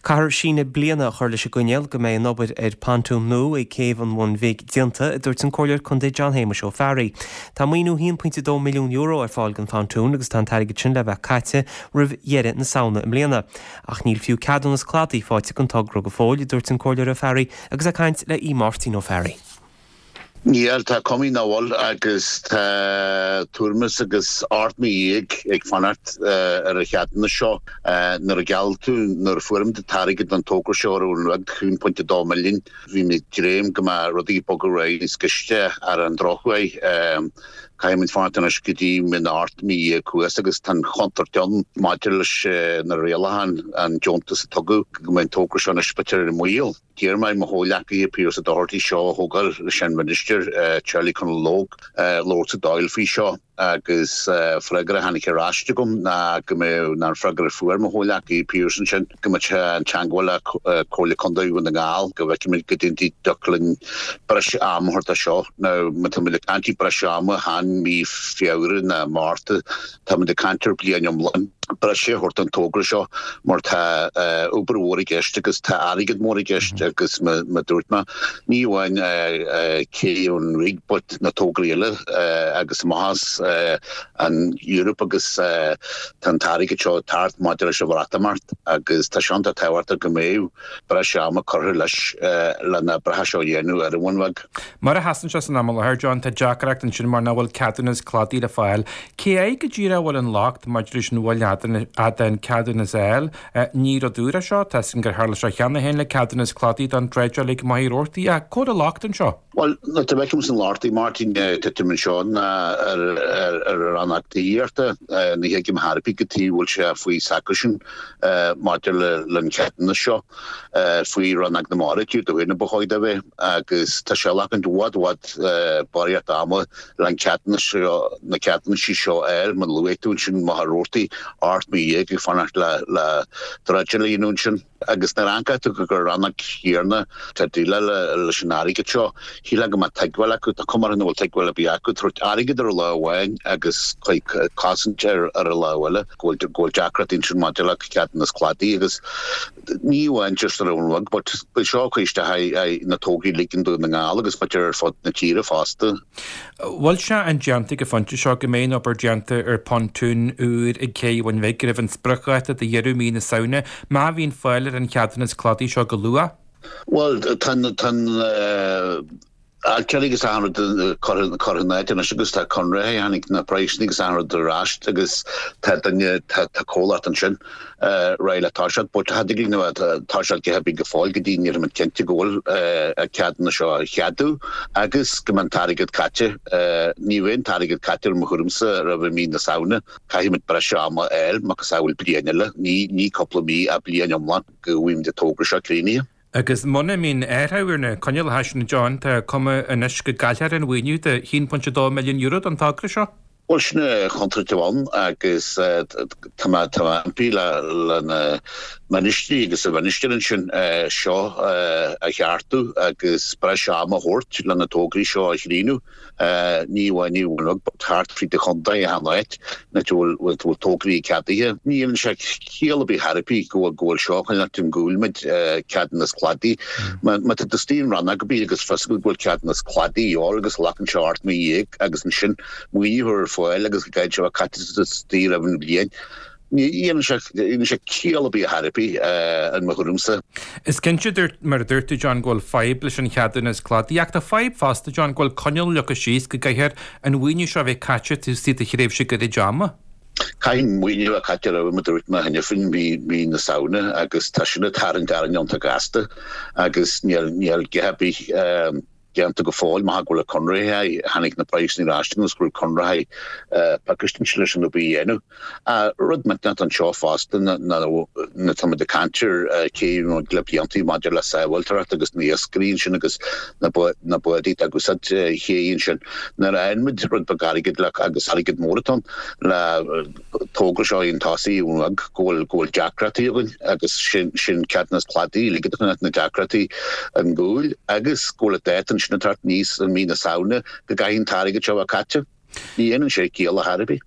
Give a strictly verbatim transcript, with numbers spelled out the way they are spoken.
Caithfear síneadh bliana a chur leis an gcoinníoll go mbeidh an obair ar phontún nua ag céibh an Bhun Bhig déanta, a dúirt an Comhairleoir Contae John Shéamuis Ó Fearraigh. Tá maoiniú haon pointe dó milliún euro ar fáil don phontún agus tá an t-airgead sin le bheith caite roimh dheireadh na Samhna i mbliana. Ach níl fiú ceadúnas cladaigh faighte don togra go fóill, a dúirt an Comhairleoir Ó Fearraigh agus ag caint le Máirtín Ó Fearraigh. Níl tá cuma nach bhfuil agus tá tuairim agus ocht mí déag ag fanacht ar an cheadúnas seo nuair a gheall tú nuair a fuair muid an t-airgead don togra seo ar an rud haon pointe dó milliún bhí mé ag dréim go mbeadh rudaí ag bogadh ar aghaidh níos gaiste ar an drochuair caithfimid fanacht anois go dtí mí na ocht mí déag thuas agus tá an chontúirt ann maidir leis na rialacháin an deontas a tugadh go mbeidh an togra seo anois b'fhéidir ar an mbaol. D'iarr mé mo chomhghleacaithe Pearse Doherty seo a thógáil leis an Minister Charlie Conalogue labhairt sa Dáil faoi seo agus freagra a tháinig ar ais agam ná go mbeadh ná an freagra fuair mo chomhghleacaí Pearse ansin go mbeadh sé i dteagmháil le Comhairle Contae Dhún na nGall go bhfeicfimid go dtiocfadh linn breis ama a thabhairt dó seo. Now má tá muid ag caint breis ama chan mí Feabhra ná Márta tá muid ag caint ar bliain iomlán breise a thabhairt don togra seo mar tá obair mhór i gceist agus tá airgead mór i gceist agus mar a dúirt mé ní amháin cé an Bhun Bhig but na tograí eile agus amach an Europe agus tá an t-airgead seo thart maidir leis an Bhreatimeacht agus tá sé an-tábhachtach go mbeidh breis ama curtha leis lena breithe seo dhéanamh ar an Bhun Bheag. Mar a sheasann sé san am i láthair John tá deacracht ansin mar nach bhfuil ceadúnas cladaigh le fáil. Cé air go díreach a bhfuil an locht maidir leis an bhfuil an ceadúnas a fháil ní rud úr é seo tá sin gur tharla sé cheana féin le ceadúnas cladaigh don dredgeáil ag Machaire Rabhartaigh a cá bhfuil an locht anseo. Well na tá bheith san Lartaí Martin tuim seo ar ar an actíochta ní thuigim ar bith go tí bhfuil sé faoi sacusin maidir le le ceadúnas seo faoi Rannóg na Mara dú do na b'chóir a bheith agus tá sé lean bhd bhd barraíocht ama le an ceadúnas seo na ceadúnaisí seo air man luaigh tú sin Machaire Rabhartaigh ocht mí déag ag fanacht le le dredgeáil sin. agus na ranca tú go gur rannóg chéanna tá déileáil leis an airgead seo shílfeá go mbeadh tuigbheáil acu tá cuma orthu nach bhfuil tuigbheáil ar bith acu tabhairt airgead ar an lámh amháin agus cosaint ar ar an lámh eile go bhfuil go bhfuil deacrachtaí ansin maidir le ceadúnas cladaigh agus ní amháin just ar an rug but seo cuiste na tograí uilig i nDún na nGall agus b'fhéidir ar fud na tíre fosta. Bhfuil sé indéanta ag an phointe seo go mbeidh an obair déanta ar phontún úr ag cé an Bhun Bhig roimh an spriocdháta de dheireadh mí na Samhna má bhíonn fáil ar an cheadúnas cladaigh seo go luath? Well tá tá ailtirí agus achan rud curtha in áit anois agus tá conraithe tháinig na praghsanna agus achan rud ar ais agus tá duine tá comhlacht ansin réidh le toiseacht but tá na toiseacht go go fóill go dtí níl muid cinnte go bhfuil ceadúnas seo a cheadú agus go mbeidh an t-airgead caite ní bheidh an t-airgead caite ar mo thuairimse roimh mí na Samhna caithfimid breis ama a fháil macasamhail bliain eile ní ní cúpla mí a bliain iomlán go bhfuil an togra seo críochnaithe. Agus muna mbíonn athrú ar na coinníollacha sin John tá cuma anois go gcaillfear an mhaoiniú de haon pointe dó milliún euro don togra seo? Well sin chontúirt amháin agus tá mé tá mé impí le le na ministrí agus a mhinistir ansin seo a cheartú agus breis ama a thabhairt le na tograí seo a chríochnú. ní amháin ní bhfuil thart fríd an chontae a áit na bhfuil bhfuil tograí ceadaithe. Ní dhéanann sé ciall ar bith ar bith go bhfuil go bhfuil seo chun an gúilmid ceadúnas cladaigh. Má tá istigh in rannóg ar bith agus fios go bhfuil ceadúnas cladaigh ar agus glacann sé ocht mí dhéag agus ansin maoiniú ar fáil agus go gcaithfidh sé caite istigh roimh an bhliain. Ní dhéanann sé dhéanann sé ciall ar bith ar bith in mo thuairimse. Is cinnte dúirt mar a dúirt tú John go bhfuil fadhb leis an cheadúnas cladaigh ach tá fadhb fosta John go bhfuil coinníoll leagtha síos go gcaithfear an mhaoiniú seo a bheith caite taobh istigh de thréimhse gairid ama. Caithfidh maoiniú a caite roimh mar a dúirt mé cheana féin mí mí na Samhna agus tá sin ag tarraingt orainn iontach gasta agus níl níl go bith déanta go fóill má go bhfuil conraithe tháinig na praghsanna ar ais agus go bhfuil conraithe pacáiste leis an obair a dhéanamh. Rud millteanach anseo fosta na na tá muid ag caint ar cé le blianta maidir le sábháilteacht agus na iascairí ansin agus na na bádaí agus ché ansin. Nuair a fhaigheann muid rud beag airgead le agus airgead mór atá ann le togra seo an tosaí ag go bhfuil go bhfuil deacrachtaí againn agus sin sin ceadúnas cladaigh ligid na deacrachtaí an gúil agus go bhfuil dáta ansin atá níos an mí na Samhna go gcaithfidh an t-airgead seo a caite. Ní dhéanann sé ciall ar bith.